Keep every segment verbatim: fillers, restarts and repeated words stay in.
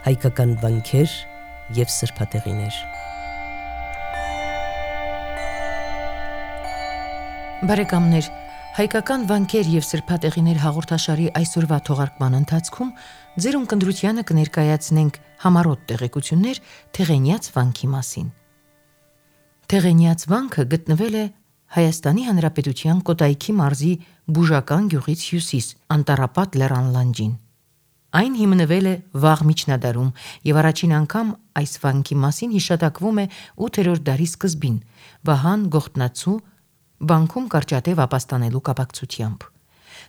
հայկական վանքեր և սրբատեղիներ։ Բարեկամներ, հայկական վանքեր և սրբատեղիներ հաղորդաշարի այսօրվա թողարկման ընթացքում ձեր ունկնդրությանը կներկայացնենք համառոտ տեղեկություններ Թեղենյաց վանքի մասին։ Թեղենյաց վանքը գտնվել է Հայաստանի Հանրապետության Կոտայքի մարզի Բուժական գյուղից հյուսիս, Անտառապատ լեռան լանջին։ Այն հիմնվել է վաղ միջնադարում և առաջին անգամ այս վանքի մասին հիշատակվում է ութերորդ դարի սկզբին Վահան Գողթնացու վանքում կարճատև ապաստանելու կապակցությամբ։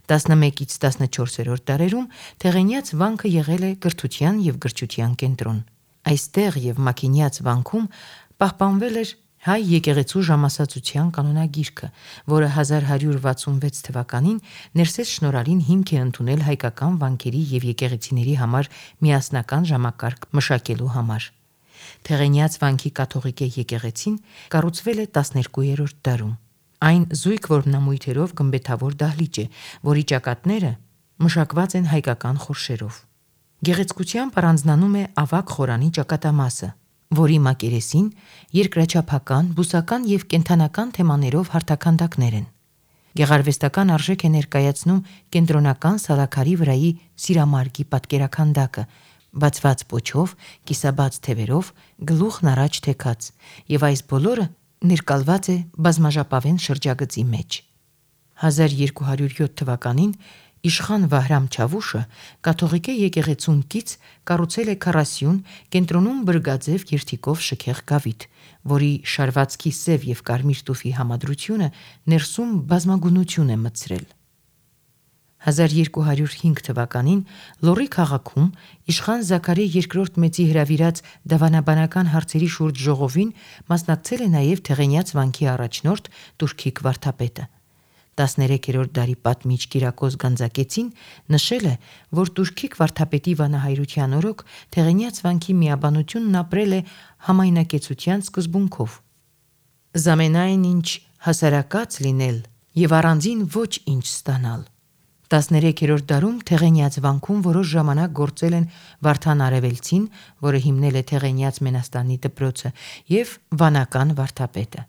տասնմեկից տասնչորսերորդ դարերում Թեղենյաց վանքը եղել է կրթության և գրչության կենտրոն։ Այստեղ և Մաքինյաց վանքում պահպանվել էր հայ եկեղեցու ժամասացության կանոնագիրքը, որը հազար հարյուր վաթսունվեց թվականին Ներսես Շնորհալին հիմք է ընդունել հայկական վանքերի և եկեղեցիների համար միասնական ժամակարգ մշակելու համար։ Թեղենյաց վանքի կաթողիկե եկեղեցին կառուցվել է տասներկուերորդ դարում։ Այն զույգ որմնամույթերով գմբեթավոր դահլիճ է, որի ճակատները մշակված են հայկական խորշերով։ Գեղեցկությամբ առանձնանում է ավագ խորանի ճակատամասը, որի մակերեսին երկրաչափական, բուսական և կենդանական թեմաներով հարթաքանդակներ են։ Գեղարվեստական արժեք է ներկայացնում կենտրոնական սալաքարի վրայի սիրամարգի պատկերաքանդակը՝ բացված պոչով, կիսաբաց թևերով, գլուխն առաջ թեքած, և այս բոլորը ներկալված է բազմաժապավեն շրջագծի մեջ։ հազար երկու հարյուր յոթ թվականին իշխան Վահրամ Չավուշը կաթողիկե եկեղեցուն կից կառուցել է քառասյուն, կենտրոնում բրգաձև երթիկով շքեղ գավիթ, որի շարվածքի սև և կարմիր տուֆի համադրությունը ներսում բազմագունություն է մտցրել։ հազար երկու հարյուր հինգ թվականին Լոռի քաղաքում իշխան Զաքարի երկրորդ Մեծի հրավիրած դավանաբանական հարցերի շուրջ ժողովին մասնակցել է նաև Թեղենյաց վանքի առաջնորդ Տուրքիկ վարդապետը։ տասներեքերորդ դարի պատմիչ Կիրակոս Գանձակեցին նշել է, որ Տուրքիկ վարդապետի վանահայրության օրոք Թեղենյաց վանքի միաբանությունն ապրել է համայնակեցության սկզբունքով։ Զամենայն ինչ հասարակած լինել և առանձին ոչ ինչ ստանալ։ տասներեքերորդ դարում Թեղենյաց վանքում որոշ ժամանակ գործել են Վարդան Արևելցին, որը հիմնել է Թեղենյաց Մենաստանի դպրոցը, և վանական վարդապետը։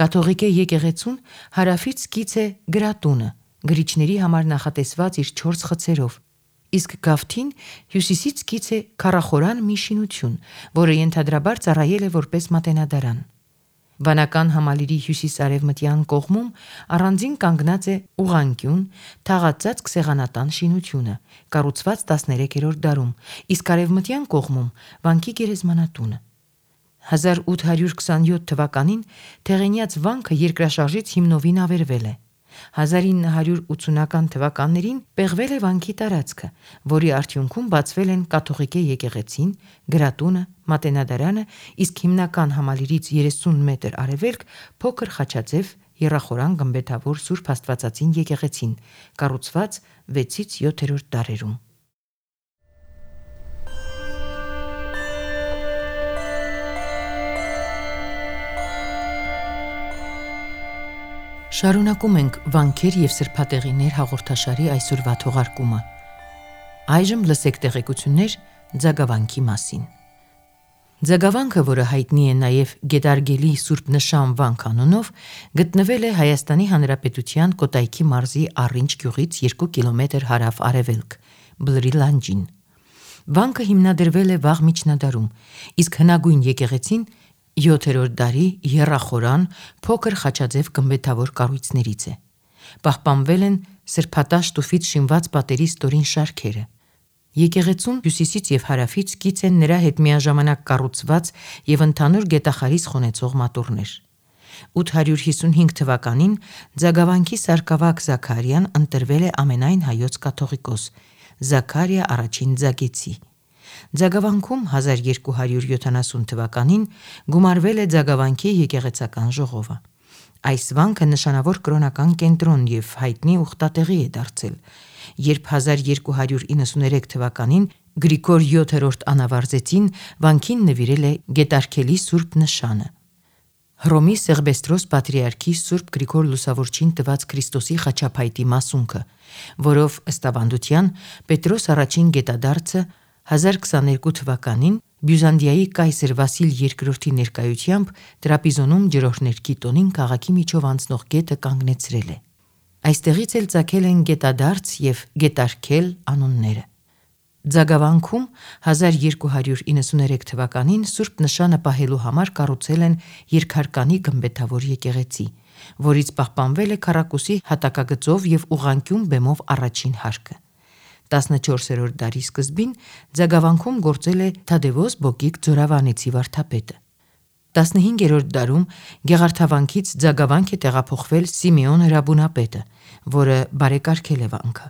Կաթողիկե եկեղեցուն հարավից կից է Գրատունը, գրիչների համար նախատեսված իր չորս խցերով, իսկ գավթին հյուսիսից կից է քառախորան մի շինություն, որը ենթադրաբար ծառայել է որպես մատենադարան։ Վանական համալիրի հյուսիս-արևմտյան կողմում առանձին կանգնած է ուղղանկյուն, թաղածածկ սեղանատան շինությունը, կառուցված տասներեքերորդ դարում, իսկ արևմտյան կողմում վանքի գերեզմանատունը։ հազար ութ հարյուր քսանյոթ թվականին Թեղենյաց վանքը երկրաշարժից հիմնովին ավերվել է։ հազար ինը հարյուր ութսունական թվականներին պեղվել է վանքի տարածքը, որի արդյունքում բացվել են կաթողիկե եկեղեցին, Գրատունը, մատենադարանը, իսկ հիմնական համալիրից երեսուն մետր արևելք փոքր խաչաձև եռախորան գմբեթավոր Սուրբ Աստվածածին եկեղեցին, կառուցված վեցից յոթերորդ դարերում։ Շարունակում ենք վանքեր և սրբատեղիներ հաղորդաշարի այսօրվա թողարկումը։ Այժմ լսեք տեղեկություններ Ձագավանքի մասին։ Ձագավանքը, որը հայտնի է նաև Գետարգելի Սուրբ Նշան վանք անունով, գտնվել է Հայաստանի Հանրապետության Կոտայքի մարզի Առինջ գյուղից երկու կիլոմետր հարավ-արևելք, Բլրի լանջին։ Վանքը հիմնադրվել է վաղ միջնադարում, իսկ հնագույն եկեղեցին յոթերորդ դարի եռախորան փոքր խաչաձև գմբեթավոր կառույցներից է։ Պահպանվել են սրբատաշ տուֆից շինված պատերի ստորին շարքերը։ Եկեղեցուն հյուսիսից և հարավից կից են նրա հետ միաժամանակ կառուցված և ընդհանուր գետախարիս խոնեցող մատուռներ։ ութ հարյուր հիսունհինգ թվականին Ձագավանքի սարկավակ Զաքարիան ընտրվել է ամենայն հայոց կաթողիկոս՝ Զաքարիա առաջին Ձագեցի։ Ձագավանքում հազար երկու հարյուր յոթանասուն թվականին գումարվել է Ձագավանքի եկեղեցական ժողովը։ Այս վանքը նշանավոր կրոնական կենտրոն և հայտնի ուխտատեղի է դարձել, երբ հազար երկու հարյուր իննսուներեք թվականին Գրիգոր յոթերորդ անավարձեցին վանքին նվիրել է Գետարգելի Սուրբ Նշանը։ Հռոմի Սեղբեստրոս պատրիարքի Սուրբ Գրիգոր Լուսավորչին տված Քրիստոսի խաչափայտի մասունքը, որով ըստ ավանդության Պետրոս առաջին գետադարձը հազար քսաներկու թվականին Բյուզանդիայի կայսր Վասիլ երկրորդի ներկայությամբ Տրապիզոնում ջրօրհներքի տոնին քաղաքի միջով անցնող գետը կանգնեցրել է։ Այստեղից էլ ծագել են Գետադարձ և Գետարքել անունները։ Ձագավանքում հազար երկու հարյուր իննսուներեք թվականին Սուրբ Նշանը պահելու համար կառուցել են երկհարկանի գմբեթավոր եկեղեցի, որից պահպանվել է քառակուսի հատակագծով և ուղղանկյուն բեմով առաջին հարկը։ տասնչորսերորդ դարի սկզբին Ձագավանքում գործել է Թադևոս Բոկիկ Ձորավանեցի վարդապետը։ տասնհինգերորդ դարում Գեղարդավանքից Ձագավանք է տեղափոխվել Սիմեոն Հրաբունապետը, որը բարեկարգել է վանքը։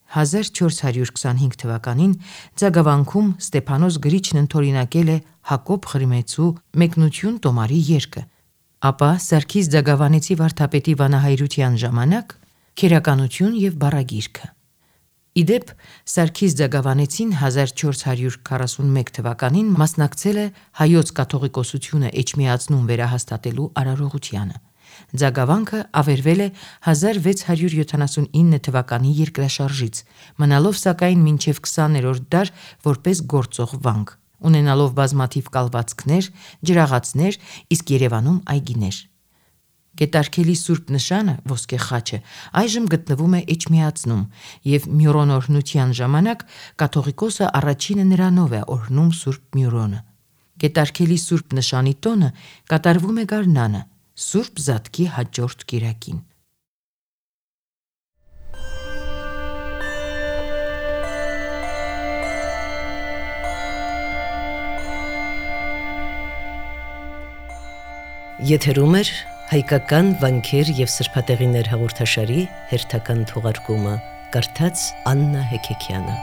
հազար չորս հարյուր քսանհինգ թվականին Ձագավանքում Ստեփանոս Գրիչն ընդօրինակել է Հակոբ Ղրիմեցու «Մեկնություն տոմարի» երգը, ապա Սարգիս Ձագավանեցի վարդապետի վանահայրության ժամանակ Քերականություն և բառագիրքը։ Ի դեպ, Սարգիս Ձագավանեցին հազար չորս հարյուր քառասունմեկ թվականին մասնակցել է Հայոց կաթողիկոսությունը էջմիածնում վերահաստատելու արարողությանը։ Ձագավանքը ավերվել է հազար վեց հարյուր յոթանասունինը թվականի երկրաշարժից, մնալով սակայն մինչև քսաներորդ դար որպես գործող վանք, ունենալով բազմաթիվ կալվածքներ, ջրաղացներ, իսկ Երևանում այգիներ։ Գետարքելի Սուրբ Նշանը ոսկե խաչը այժմ գտնվում է Էջմիածնում, և մյուրոնօրհնության ժամանակ կաթողիկոսը առաջինը նրանով է օրհնում Սուրբ Մյուրոնը։ Գետարքելի Սուրբ Նշանի տոնը կատարվում է գարնանը, Սուրբ Զատկի հաջորդ կիրակին։ Եթերում է հայկական վանքեր և սրբատեղիներ հաղորդաշարի հերթական թողարկումը, կարդաց Աննա Հեքեքյանը։